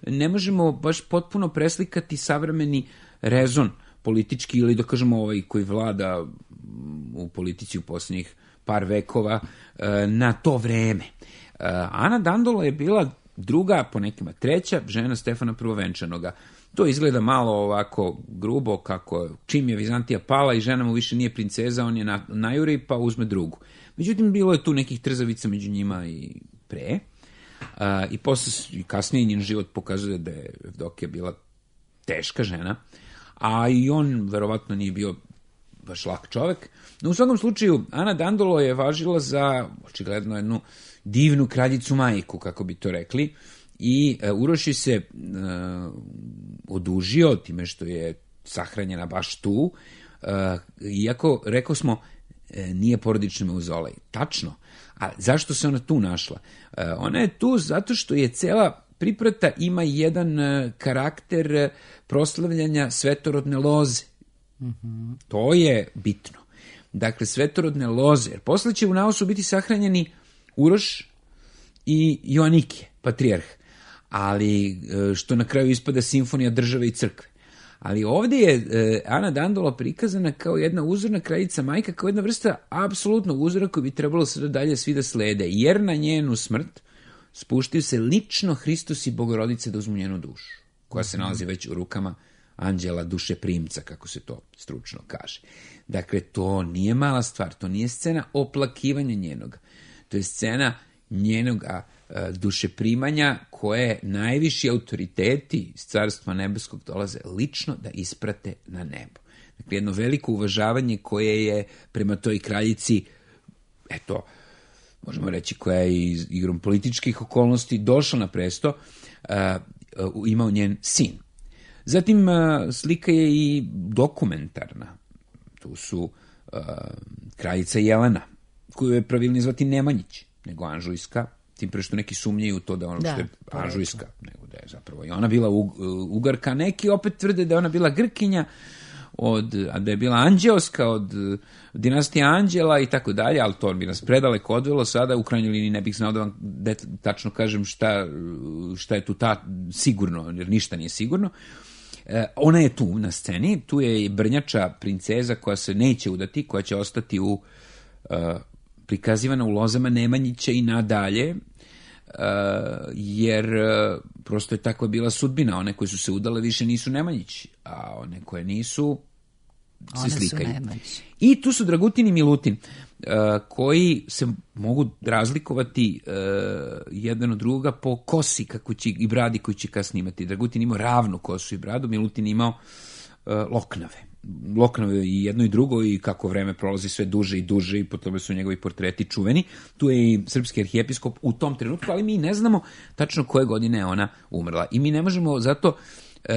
ne možemo baš potpuno preslikati savremeni rezon politički ili da kažemo ovaj koji vlada u politici u posljednjih par vekova na to vreme. Ana Dandolo je bila druga, po nekima treća, žena Stefana Prvovenčanoga. To izgleda malo ovako grubo, kako čim je Vizantija pala i žena mu više nije princeza, on je najuri pa uzme drugu. Međutim, bilo je tu nekih trzavica među njima i pre. I posle, kasnije njen život pokazuje da je Evdokija bila teška žena, a i on verovatno nije bio baš lak čovek. No, u svakom slučaju, Ana Dandolo je važila za, očigledno, jednu divnu kraljicu majku, kako bi to rekli, i Uroš se odužio time što je sahranjena baš tu, iako, rekao smo, nije porodični mauzolej. Tačno. A zašto se ona tu našla? Ona je tu zato što je cela priprata ima jedan karakter proslavljanja svetorodne loze. Mm-hmm. To je bitno. Dakle, svetorodne loze. Jer posle će u Naosu biti sahranjeni Uroš i Joanikije, patrijarh. Ali što na kraju ispada simfonija države i crkve. Ali ovdje je Ana Dandolo prikazana kao jedna uzorna kraljica majka, kao jedna vrsta apsolutnog uzora koji bi trebalo sada dalje svi da slede. Jer na njenu smrt spuštaju se lično Hristos i Bogorodice da uzmu njenu dušu, koja se nalazi već u rukama anđela duše primca, kako se to stručno kaže. Dakle, to nije mala stvar, to nije scena oplakivanja njenoga. To je scena njenoga dušeprimanja koje najviši autoriteti iz Carstva nebeskog dolaze lično da isprate na nebo. Dakle, jedno veliko uvažavanje koje je prema toj kraljici, eto, možemo reći koja je igrom političkih okolnosti došla na presto, imao njen sin. Zatim, slika je i dokumentarna. Tu su kraljica Jelena, koju je pravilno zvati Nemanjić, nego Anžujska, tim pre što neki sumnjaju u to da ono što je Anžujska, nego da je zapravo i ona bila Ugarka, neki opet tvrde da je ona bila Grkinja, a da je bila Anđeoska od dinastije Anđela i tako dalje, ali to bi nas predaleko odvelo sada, u krajnjoj liniji ne bih znao da vam tačno kažem šta je tu sigurno, jer ništa nije sigurno. Ona je tu na sceni, tu je i Brnjača princeza koja se neće udati, koja će ostati prikazivana u lozama Nemanjića i nadalje, jer prosto je takva bila sudbina. One koje su se udale više nisu Nemanjići, a one koje nisu se slikaju. I tu su Dragutin i Milutin, koji se mogu razlikovati jedan od drugoga po kosi i bradi koju će kasnije imati. Dragutin imao ravnu kosu i bradu, Milutin imao loknave i jedno i drugo, i kako vreme prolazi sve duže i duže, i po tome su njegovi portreti čuveni. Tu je i srpski arhijepiskop u tom trenutku, ali mi ne znamo tačno koje godine je ona umrla. I mi ne možemo zato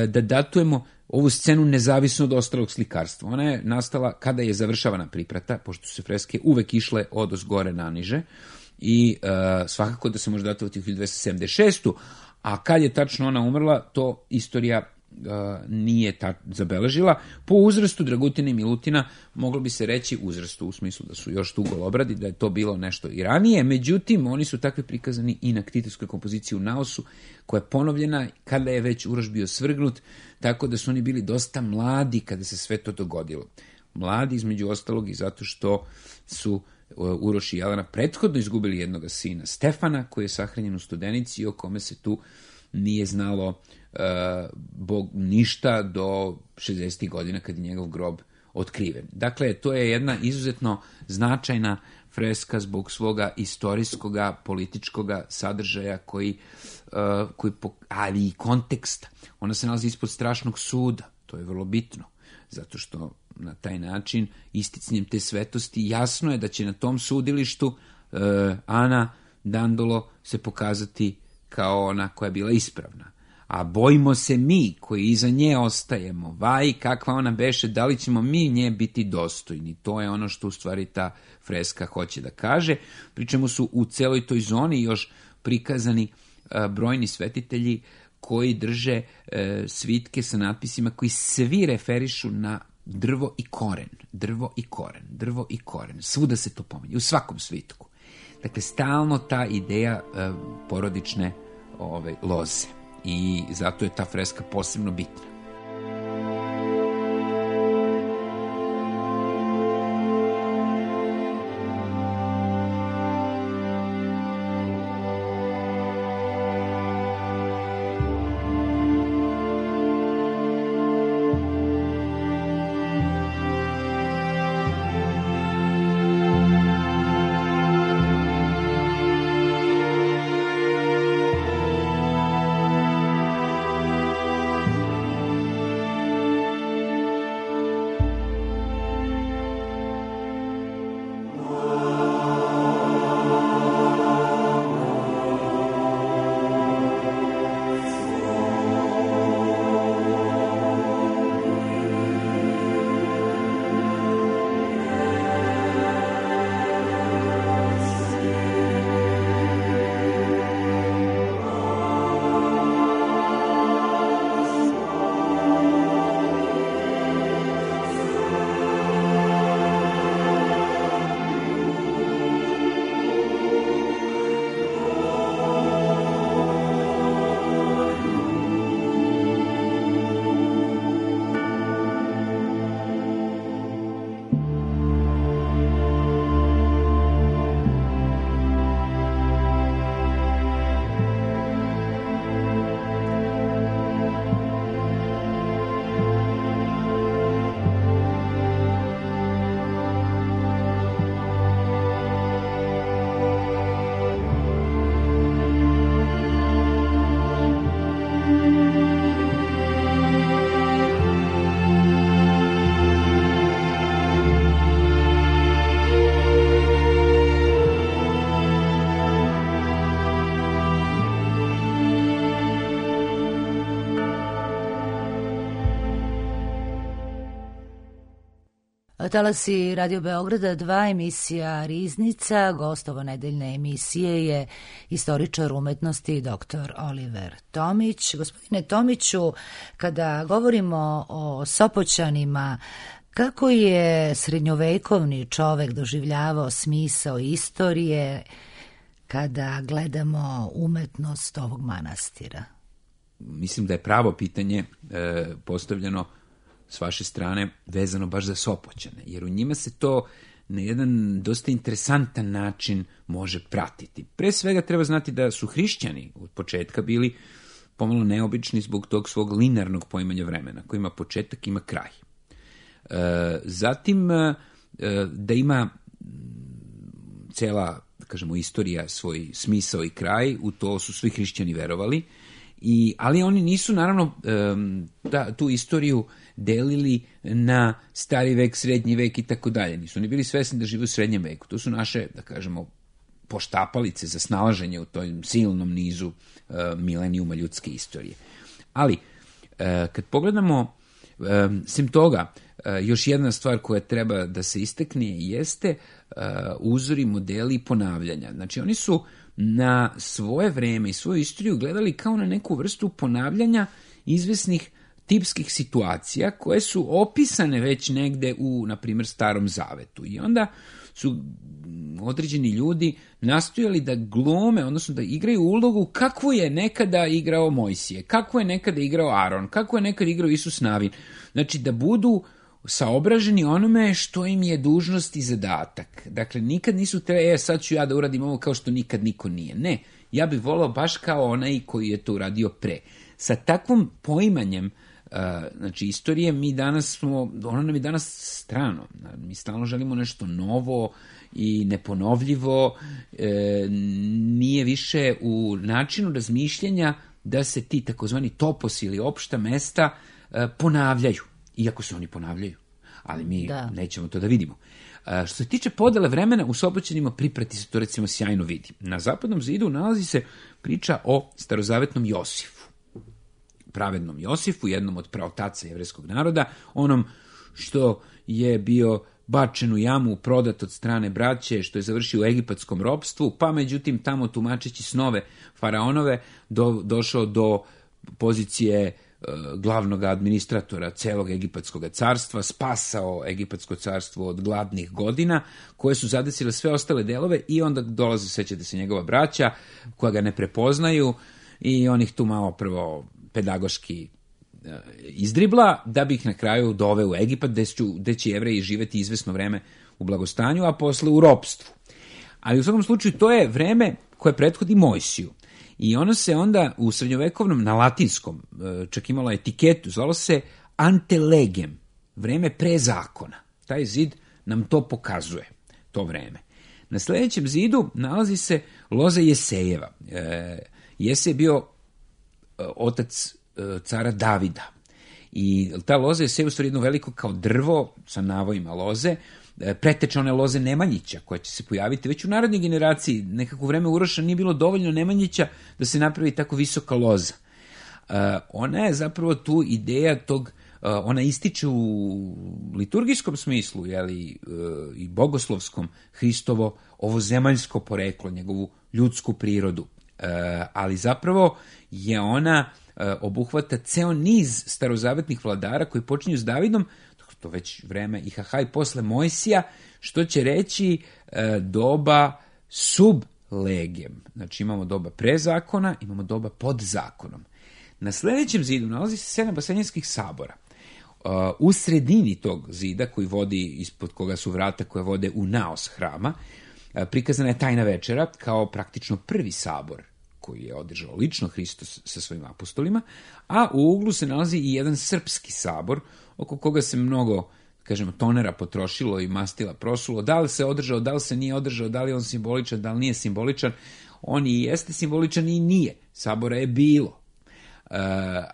da datujemo ovu scenu nezavisno od ostalog slikarstva. Ona je nastala kada je završavana priprata, pošto su se freske uvek išle od ozgore na niže, i svakako da se može datovati u 1276. A kad je tačno ona umrla, to istorija nije zabeležila. Po uzrastu Dragutina i Milutina moglo bi se reći, uzrastu u smislu da su još tu golobradi, da je to bilo nešto i ranije, međutim oni su takvi prikazani i na ktitijskoj kompoziciji u Naosu, koja je ponovljena kada je već Uroš bio svrgnut, tako da su oni bili dosta mladi kada se sve to dogodilo. Mladi između ostalog i zato što su Uroš i Jelena prethodno izgubili jednoga sina, Stefana, koji je sahranjen u Studenici i o kome se tu nije znalo ništa do 60. godina kad je njegov grob otkriven. Dakle, to je jedna izuzetno značajna freska zbog svoga istorijskoga, političkoga sadržaja ali i konteksta. Ona se nalazi ispod strašnog suda, to je vrlo bitno, zato što na taj način, isticnjem te svetosti, jasno je da će na tom sudilištu Ana Dandolo se pokazati kao ona koja je bila ispravna. A bojimo se mi koji iza nje ostajemo, kakva ona beše, da li ćemo mi nje biti dostojni. To je ono što u stvari ta freska hoće da kaže. Pri čemu su u celoj toj zoni još prikazani brojni svetitelji koji drže svitke sa natpisima koji svi referišu na drvo i koren, drvo i koren, drvo i koren. Svuda se to pominje, u svakom svitku. Dakle, stalno ta ideja porodične loze. I zato je ta freska posebno bitna. Talasi Radio Beograda 2, emisija Riznica. Gost nedeljne emisije je istoričar umetnosti dr. Oliver Tomić. Gospodine Tomiću, kada govorimo o Sopoćanima, kako je srednjovekovni čovek doživljavao smisao istorije kada gledamo umetnost ovog manastira? Mislim da je pravo pitanje postavljeno s vaše strane vezano baš za Sopoćane, jer u njima se to na jedan dosta interesantan način može pratiti. Pre svega treba znati da su hrišćani od početka bili pomalo neobični zbog tog svog linearnog poimanja vremena, koji ima početak, ima kraj. Zatim, da ima cela, da kažemo, istorija svoj smisao i kraj, u to su svi hrišćani verovali, ali oni nisu, naravno, tu istoriju delili na stari vek, srednji vek i tako dalje. Nisu oni bili svesni da žive u srednjem veku. To su naše, da kažemo, poštapalice za snalaženje u tom silnom nizu milenijuma ljudske istorije. Ali, kad pogledamo, sem toga, još jedna stvar koja treba da se istakne jeste uzori, modeli i ponavljanja. Znači, oni su na svoje vreme i svoju istoriju gledali kao na neku vrstu ponavljanja izvesnih tipskih situacija koje su opisane već negde u, na primjer, Starom Zavetu. I onda su određeni ljudi nastojali da glome, odnosno da igraju ulogu kakvu je nekada igrao Mojsije, kakvu je nekada igrao Aron, kakvu je nekada igrao Isus Navin. Znači, da budu saobraženi onome što im je dužnost i zadatak. Dakle, nikad nisu trebali, sad ću ja da uradim ovo kao što nikad niko nije. Ne, ja bih volao baš kao onaj koji je to uradio pre. Sa takvom poimanjem, znači, istorije, mi danas smo, ono nam je danas strano. Mi stalno želimo nešto novo i neponovljivo. Nije više u načinu razmišljanja da se ti takozvani toposi ili opšta mesta ponavljaju. Iako se oni ponavljaju, ali mi nećemo to da vidimo. Što se tiče podele vremena, u Sopoćanima priprati se to, recimo, sjajno vidi. Na Zapadnom zidu nalazi se priča o starozavetnom Josifu, pravednom Josifu, jednom od praotaca jevrejskog naroda, onom što je bio bačen u jamu, prodat od strane braće, što je završio u egipatskom ropstvu, pa međutim tamo, tumačeći snove faraonove, došao do pozicije glavnog administratora celog egipatskog carstva, spasao egipatsko carstvo od gladnih godina koje su zadesile sve ostale delove, i onda dolaze, sećate se, njegova braća koja ga ne prepoznaju i on ih tu malo prvo pedagoški izdribla, da bi ih na kraju doveo u Egipat, gde će Jevreji živeti izvesno vreme u blagostanju, a posle u ropstvu. Ali u svakom slučaju to je vreme koje prethodi Mojsiju. I ono se onda u srednjovekovnom, na latinskom, čak imalo etiketu, zvalo se ante legem, vreme pre zakona. Taj zid nam to pokazuje, to vreme. Na sljedećem zidu nalazi se loza Jesejeva. Jesej je bio otac cara Davida. I ta loza Jeseja u stvari jedno veliko kao drvo sa navojima loze, preteče one loze Nemanjića, koja će se pojaviti već u narodnoj generaciji. Nekako vreme Uroša nije bilo dovoljno Nemanjića da se napravi tako visoka loza. Ona je zapravo tu ideja tog, ona ističe u liturgijskom smislu, i bogoslovskom, Hristovo ovozemaljsko poreklo, njegovu ljudsku prirodu. Ali zapravo je ona obuhvata ceo niz starozavetnih vladara koji počinju s Davidom, to već vreme Ihahaj posle Mojsija, što će reći doba sub legem. Znači, imamo doba pre zakona, imamo doba pod zakonom. Na sljedećem zidu nalazi se 7 vaseljenskih sabora. U sredini tog zida, koji vodi, ispod koga su vrata koje vode u naos hrama, prikazana je tajna večera kao praktično prvi sabor koji je održao lično Hristos sa svojim apostolima, a u uglu se nalazi i jedan srpski sabor, oko koga se mnogo, kažemo, tonera potrošilo i mastila prosulo. Da li se održao, da li se nije održao, da li je on simboličan, da li nije simboličan. On i jeste simboličan i nije. Sabora je bilo.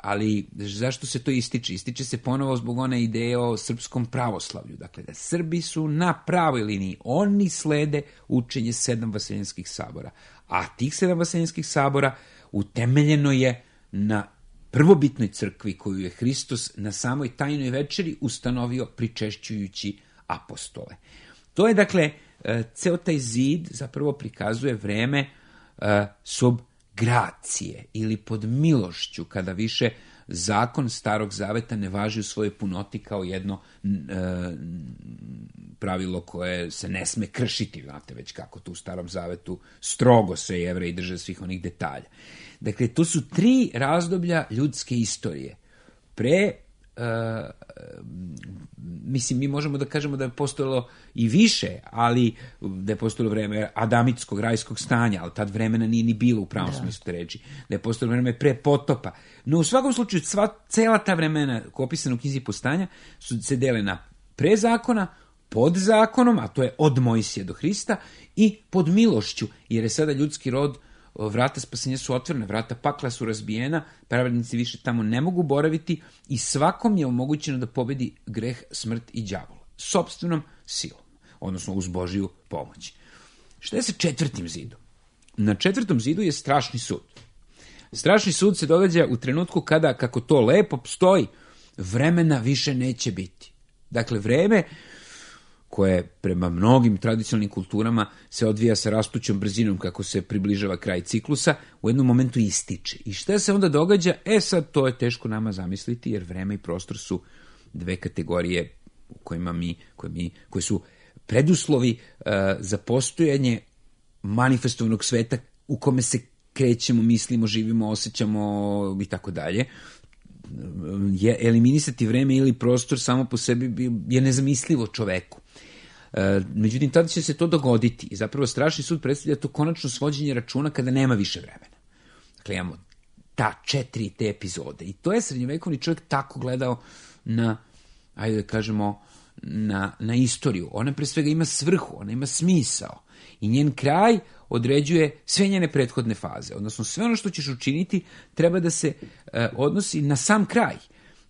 Ali zašto se to ističe? Ističe se ponovo zbog one ideje o srpskom pravoslavlju. Dakle, da Srbi su na pravoj liniji. Oni slede učenje 7 vaseljenskih sabora. A tih 7 vaseljenskih sabora utemeljeno je na prvobitnoj crkvi koju je Hristos na samoj tajnoj večeri ustanovio pričešćujući apostole. To je, dakle, ceo taj zid zapravo prikazuje vreme sob gracije ili pod milošću, kada više zakon Starog Zaveta ne važi u svojoj punoti kao jedno pravilo koje se ne sme kršiti, znate već kako to u Starom Zavetu strogo se Jevreji drže svih onih detalja. Dakle, to su 3 razdoblja ljudske istorije. Mislim, mi možemo da kažemo da je postojalo i više, ali da je postojalo vreme adamitskog, rajskog stanja, ali tad vremena nije ni bilo u pravom smislu te reči, da je postojalo vreme pre potopa. No u svakom slučaju, cela ta vremena koja je opisana u knjizi Postanja se dele na pre zakona, pod zakonom, a to je od Mojsija do Hrista, i pod milošću, jer je sada ljudski rod, vrata spasenja su otvorena, vrata pakla su razbijena, pravednici više tamo ne mogu boraviti i svakom je omogućeno da pobedi greh, smrt i đavola. Sopstvenom silom, odnosno uz Božiju pomoć. Šta je sa 4. zidom? Na 4. zidu je strašni sud. Strašni sud se događa u trenutku kada, kako to lepo stoji, vremena više neće biti. Dakle, vreme koje prema mnogim tradicionalnim kulturama se odvija sa rastućom brzinom kako se približava kraj ciklusa, u jednom momentu ističe. I šta se onda događa? Sad to je teško nama zamisliti, jer vreme i prostor su 2 kategorije u koje su preduslovi za postojanje manifestovanog sveta u kome se krećemo, mislimo, živimo, osjećamo i tako dalje. Eliminisati vreme ili prostor samo po sebi je nezamislivo čoveku. Međutim, tada će se to dogoditi i zapravo strašni sud predstavlja to konačno svođenje računa kada nema više vremena. Dakle, imamo te epizode i to je srednjovekovni čovjek tako gledao na, ajde da kažemo, na istoriju. Ona pre svega ima svrhu, ona ima smisao i njen kraj određuje sve njene prethodne faze. Odnosno, sve ono što ćeš učiniti treba da se odnosi na sam kraj.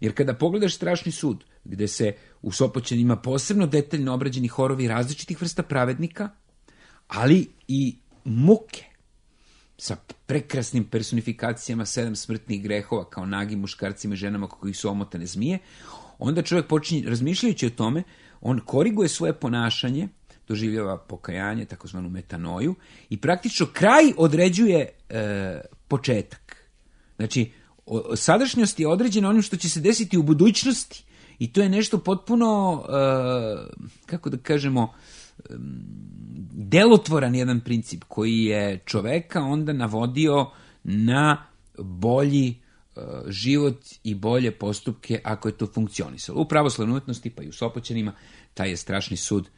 Jer kada pogledaš strašni sud, gde se u Sopoćani ima posebno detaljno obrađeni horovi različitih vrsta pravednika, ali i muke sa prekrasnim personifikacijama 7 smrtnih grehova kao nagim muškarcima i ženama kako ih su omotane zmije, onda čovjek počinje, razmišljajući o tome, on koriguje svoje ponašanje, doživljava pokajanje, takozvanu metanoju, i praktično kraj određuje početak. Znači, sadašnjost je određena onim što će se desiti u budućnosti i to je nešto potpuno, kako da kažemo, delotvoran jedan princip koji je čoveka onda navodio na bolji život i bolje postupke ako je to funkcionisalo. U pravoslavnoj umetnosti pa i u Sopoćanima taj je strašni sud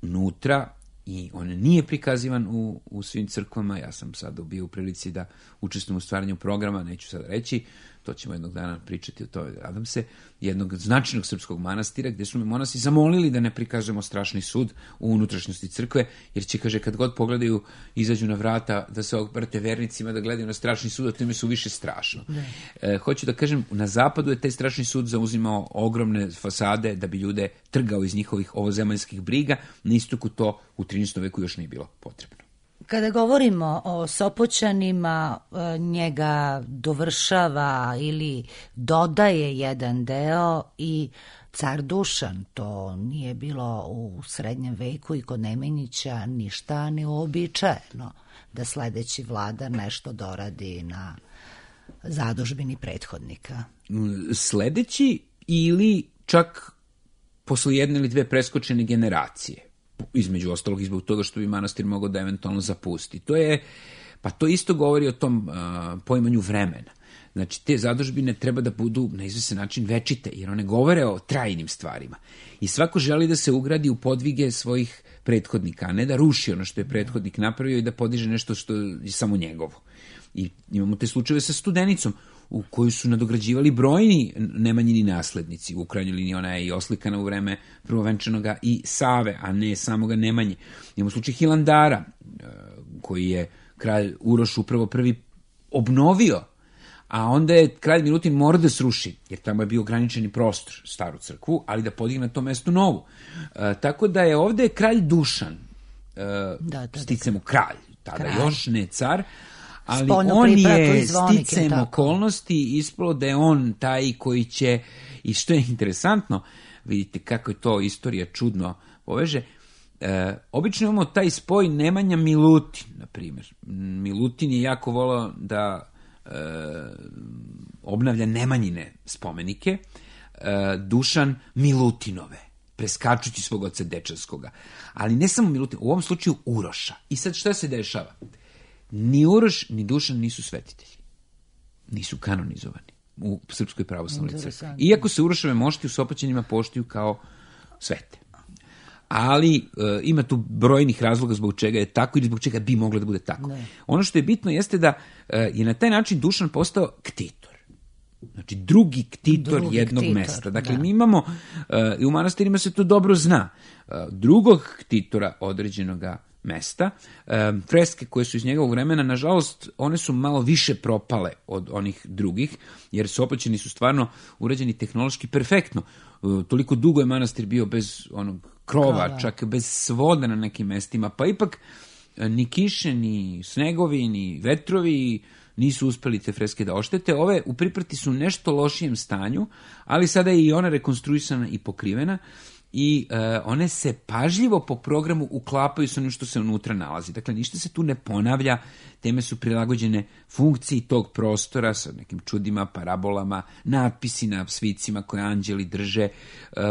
unutra i on nije prikazivan u svim crkvama. Ja sam sada bio u prilici da učestvujem u stvaranju programa, neću sada reći, to ćemo jednog dana pričati o tome, nadam se, jednog značajnog srpskog manastira gdje su me monasi zamolili da ne prikažemo strašni sud u unutrašnjosti crkve, jer će, kaže, kad god pogledaju, izađu na vrata da se obrate vernicima, da gledaju na strašni sud, a time su više strašno. Hoću da kažem, na zapadu je taj strašni sud zauzimao ogromne fasade da bi ljude trgao iz njihovih ovozemaljskih briga, na istoku to u 13. veku još nije bilo potrebno. Kada govorimo o Sopoćanima, njega dovršava ili dodaje jedan deo i car Dušan. To nije bilo u srednjem veku i kod Nemanjića ništa neuobičajeno da sledeći vladar nešto doradi na zadužbini prethodnika. Sledeći ili čak posle 1 ili 2 preskočene generacije. Između ostalog i zbog toga što bi manastir mogao da eventualno zapusti. To isto govori o tom poimanju vremena. Znači, te zadužbine treba da budu na izvestan način večite, jer one govore o trajnim stvarima. I svako želi da se ugradi u podvige svojih prethodnika, a ne da ruši ono što je prethodnik napravio i da podiže nešto što je samo njegovo. I imamo te slučajeve sa Studenicom, u koju su nadograđivali brojni Nemanjini naslednici. U krajnjoj liniji ona je i oslikana u vreme prvovenčanoga i Save, a ne samoga Nemanje. Imamo slučaj Hilandara, koji je kralj Uroš upravo prvi obnovio, a onda je kralj Milutin morao da sruši, jer tamo je bio ograničeni prostor, staru crkvu, ali da podigne na to mesto novu. Tako da je ovde kralj Dušan, sticam u kralj, tada još ne car, ali on je sticam okolnosti ispalo da je on taj koji će, i što je interesantno, vidite kako je to istorija čudno poveže. Obično imamo taj spoj Nemanja Milutin, na primjer. Milutin je jako volao da obnavlja Nemanjine spomenike, Dušan Milutinove, preskačući svog oca Dečanskoga. Ali ne samo Milutin, u ovom slučaju Uroša. I sad šta se dešava? Ni Uroš, ni Dušan nisu svetitelji. Nisu kanonizovani u Srpskoj pravoslavnoj crkvi. Iako se Urošove mošti u Sopoćanima poštuju kao svete. Ali ima tu brojnih razloga zbog čega je tako ili zbog čega bi moglo da bude tako. Ne. Ono što je bitno jeste da je na taj način Dušan postao ktitor. Znači drugi ktitor jednog mesta. Dakle, mi imamo, i u manastirima se to dobro zna, drugog ktitora određenog mesta. Freske koje su iz njegovog vremena, nažalost, one su malo više propale od onih drugih, jer Sopoćani su stvarno urađeni tehnološki perfektno. Toliko dugo je manastir bio bez onog krova, čak bez svoda na nekim mestima, pa ipak ni kiše, ni snegovi, ni vetrovi nisu uspeli te freske da oštete. Ove u priprti su u nešto lošijem stanju, ali sada je i ona rekonstruisana i pokrivena i one se pažljivo po programu uklapaju sa onim što se unutra nalazi. Dakle, ništa se tu ne ponavlja, teme su prilagođene funkciji tog prostora sa nekim čudima, parabolama, natpisi na svicima koje anđeli drže,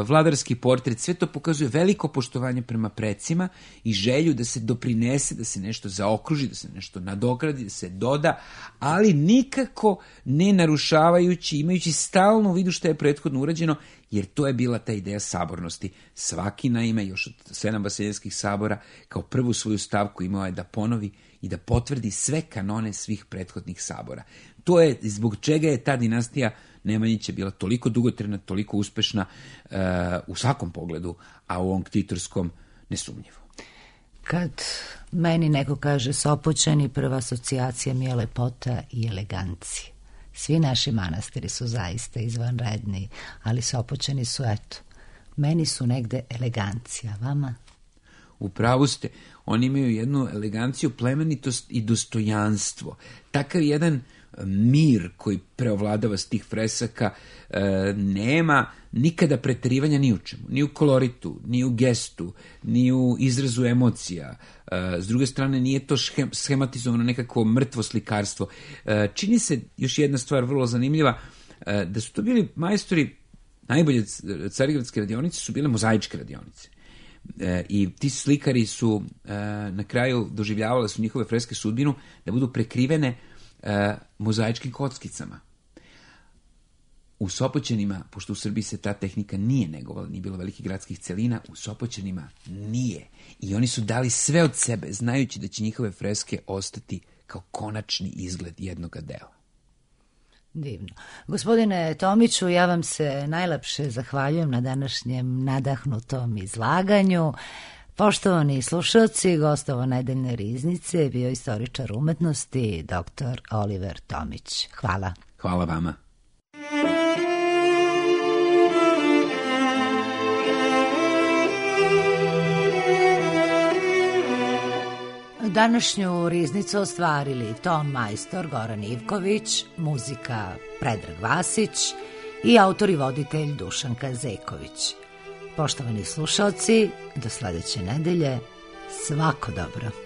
vladarski portret, sve to pokazuje veliko poštovanje prema precima i želju da se doprinese, da se nešto zaokruži, da se nešto nadogradi, da se doda, ali nikako ne narušavajući, imajući stalno u vidu što je prethodno urađeno, jer to je bila ta ideja sabornosti. Svaki, naime, još od 7 vaseljenskih sabora, kao prvu svoju stavku imao je da ponovi i da potvrdi sve kanone svih prethodnih sabora. To je zbog čega je ta dinastija Nemanjića bila toliko dugotrajna, toliko uspešna u svakom pogledu, a u ovom ktitorskom nesumnjivo. Kad meni neko kaže Sopoćani, prva asocijacija mi je lepota i elegancija. Svi naši manastiri su zaista izvanredni, ali Sopoćani su, eto, meni su negde elegancija, vama? U pravu ste, oni imaju jednu eleganciju, plemenitost i dostojanstvo. Takav jedan mir koji preovladava s tih fresaka, nema nikada preterivanja ni u čemu, ni u koloritu, ni u gestu, ni u izrazu emocija. S druge strane, nije to schematizovano nekakvo mrtvo slikarstvo. Čini se, još jedna stvar vrlo zanimljiva, da su to bili majstori, najbolje carigradske radionice su bile mozaičke radionice. I ti slikari su na kraju doživljavali su njihove freske sudbinu da budu prekrivene mozaičkim kockicama. U Sopoćanima, pošto u Srbiji se ta tehnika nije negovala, nije bilo velikih gradskih celina, u Sopoćanima nije. I oni su dali sve od sebe, znajući da će njihove freske ostati kao konačni izgled jednoga dela. Divno. Gospodine Tomiću, ja vam se najlepše zahvaljujem na današnjem nadahnutom izlaganju. Poštovani slušalci, gostovo nedeljne riznice bio istoričar umetnosti dr. Oliver Tomić. Hvala. Hvala vama. Današnju riznicu ostvarili ton majstor Goran Ivković, muzika Predrag Vasić i autor i voditelj Dušanka Zeković. Poštovani slušalci, do sledeće nedelje, svako dobro.